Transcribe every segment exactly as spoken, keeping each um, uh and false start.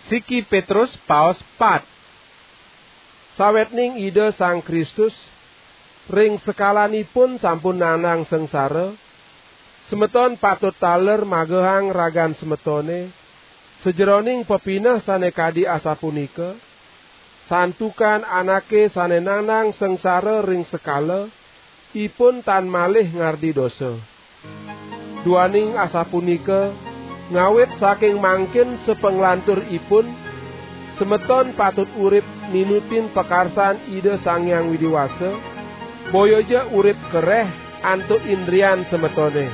Siki Petrus paos pat. Sawetning Ida Sang Kristus ring sekalanipun sampun nandang sengsara, semeton patut taler magehang ragan semetone sajeroning pepineh sane kadi asapunika, santukan anake sane nandang sengsara ring sekala, ipun tan malih ngardi dosa. Duaning asapunika, ngawit saking mangkin sapanglantur ipun, semeton patut urip ninutin pakarsan Ida Sang Hyang Widi Wasa, boya ja urip kereh antuk indrian semetone.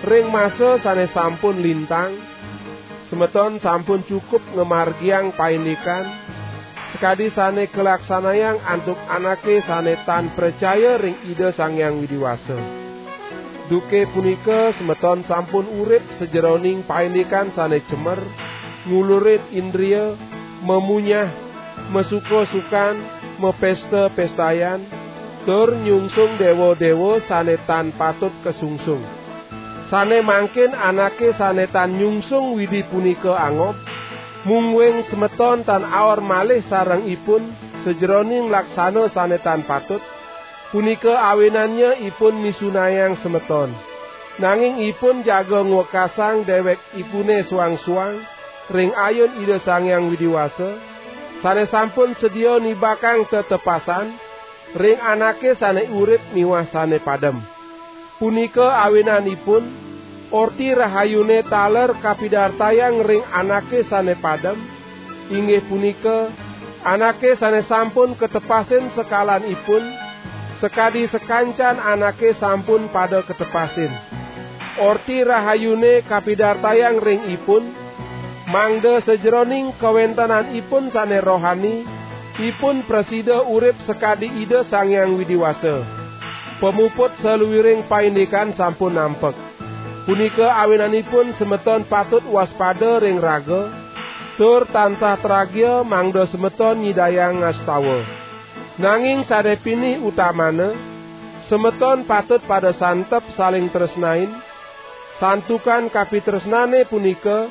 Ring masa sane sampun lintang, semeton sampun cukup ngamargiang paindikan sakadi sane kalaksanayang antuk anake sane tan pracaya ring Ida Sang Hyang Widi Wasa. Duke punika semeton sampun urip sajeroning paindikan sane cemer, ngulurin indria, mamunyah, masuka-sukan, mapesta-pestayan, tur nyungsung dewa-dewa sane tan patut kasungsung. Sane mangkin anake sane tan nyungsung Widi punika angob, mungguing semeton tan aor malih sareng ipun sajeroning laksana sane tan patut, punika awinannya ipun misunayang semeton. Nanging ipun jaga ngwekasang dewek ipune suang-suang ring ayun Ida Sang Hyang Widi Wasa, sane sampun sedia nibakang tetepasan ring anake sane urip miwah sane padem. Punika awinanipun, Orti Rahayune taler kapidartayang ring anake sane padem, inggih punika, anake sane sampun katepasin sekalanipun, sakadi sakancan anake sampun pada katepasin. Orti Rahayune kapidartayang ring ipun, mangda sajeroning kawentenanipun sane rohani, ipun prasida urip sakadi Ida Sang Hyang Widi Wasa. Pamuput saluiring paindikan sampun nampek. Punika awinanipun semeton patut waspada ring raga, tur tansah tragia mangda semeton nyidayang ngastawa. Nanging sane pinih utamana, semeton patut pada santep saling tresnain, santukan kapitresnane punika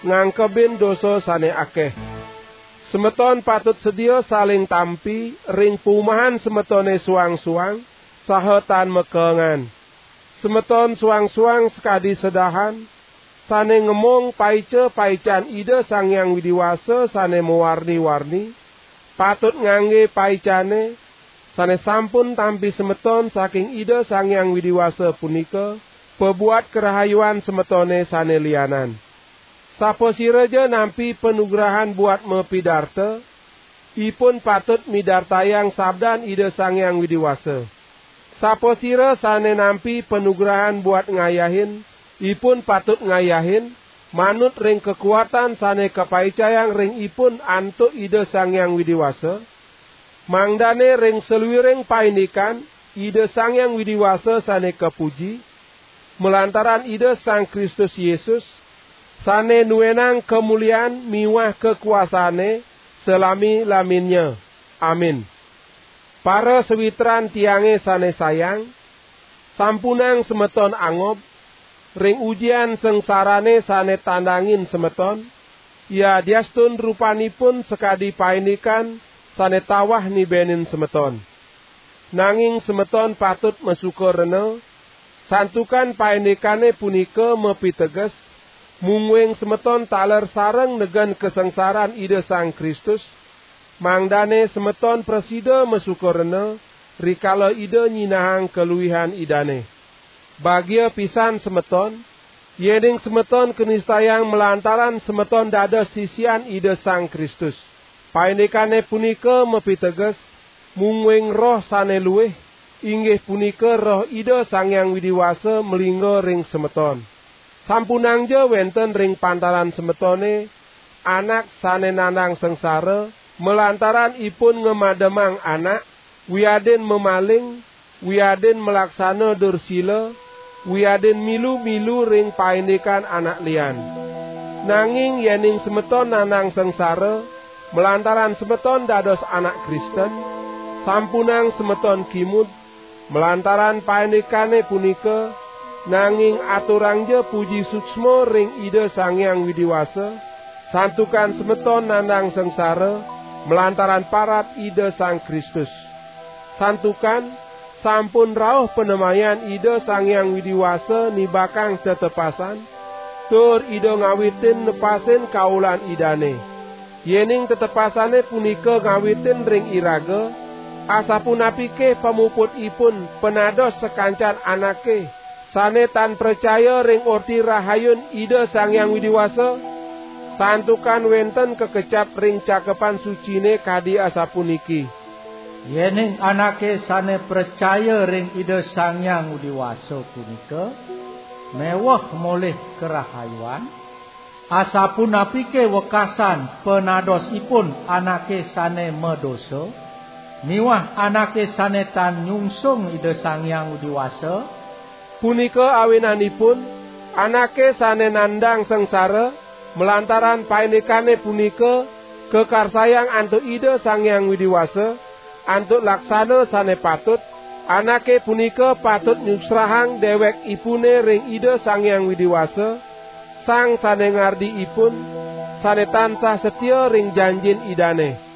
ngangkebin dosa sane akeh. Semeton patut sedia saling tampi ring pumahan semetone suang-suang, saha tan makaengan. Semeton suang-suang sakadi sedahan, sane ngemong paica-paican Ida Sang Hyang Widi Wasa sane mawarni-warni, patut ngangge paicane, sane sampun tampi semeton saking Ida Sang Hyang Widi Wasa punika, pabuat karahayuan semetone sane lianan. Sapasiraja nampi panugrahan buat mapidarta, ipun patut midartayang sabdan Ida Sang Hyang Widi Wasa. Sapasira sane nampi panugrahan buat ngayahin, ipun patut ngayahin, manut ring kakuatan sane kapaicayang ring ipun antuk Ida Sang Hyang Widi Wasa, mangdane ring saluiring paindikan Ida Sang Hyang Widi Wasa sane kapuji, malantaran Ida Sang Kristus Yesus, sane nuenang kamulian miwah kakuasane salami-laminnya. Amin. Para sawitran tiange sane sayang, sampunang semeton angob, ring ujian sengsarane sane tandangin semeton, yadiastun rupanipun sakadi paindikan sane tawah nibenin semeton. Nanging semeton patut masuka rena, santukan paindikane punika mapiteges, mungguing semeton taler sareng negen kasangsaran Ida Sang Kristus, mangdane semeton prasida masuka rena, rikala Ida nyinahang kaluihan Idane. Bagia pisan semeton, yening semeton kanistayang malantaran semeton dados sisian Ida Sang Kristus. Paindikane punika mapiteges, mungguing Roh sane luih, inggih punika Roh Ida Sang Hyang Widi Wasa malingga ring semeton. Sampunangja wenten ring pantaran semetone anak sane nandang sengsara, malantaran ipun ngamademang anak, wiadin mamaling, wiadin malaksana dursila, wiadin milu-milu ring paindikan anak lian. Nanging yening semeton nandang sengsara, malantaran semeton dados anak Kristen, sampunang semeton kimud, malantaran paindikane punika, nanging aturangja puji suksma ring Ida Sang Hyang Widi Wasa, Santukan semeton nandang sengsara malantaran parab Ida Sang Kristus. Santukan sampun rauh panemayan Ida Sang Hyang Widi Wasa nibakang tetepasan, tur Ida ngawitin nepasin kaulan Idane. Yening tetepasane punika ngawitin ring iraga, asapunapike pamuputipun panados sakancan anake sane tan pracaya ring Orti Rahayun Ida Sang Hyang Widi Wasa? Santukan wenten kakecap ring Cakepan Sucine kadi asapuniki: Yening anake sane pracaya ring Ida Sang Hyang Widi Wasa punika meweh molih karahayuan, asapunapike wekasan panadosipun anake sane madosa, miwah anake sane tan nyungsung Ida Sang Hyang Widi Wasa? Punika awinanipun, anake sane nandang sangsara malantaran paindikane punika kakarsayang antuk Ida Sang Hyang Widi Wasa, antuk laksana sane patut, anake punika patut nyusrahang dewekipune ring Ida Sang Hyang Widi Wasa, Sang sane ngardi ipun, sane tansah satia ring janjin Idane.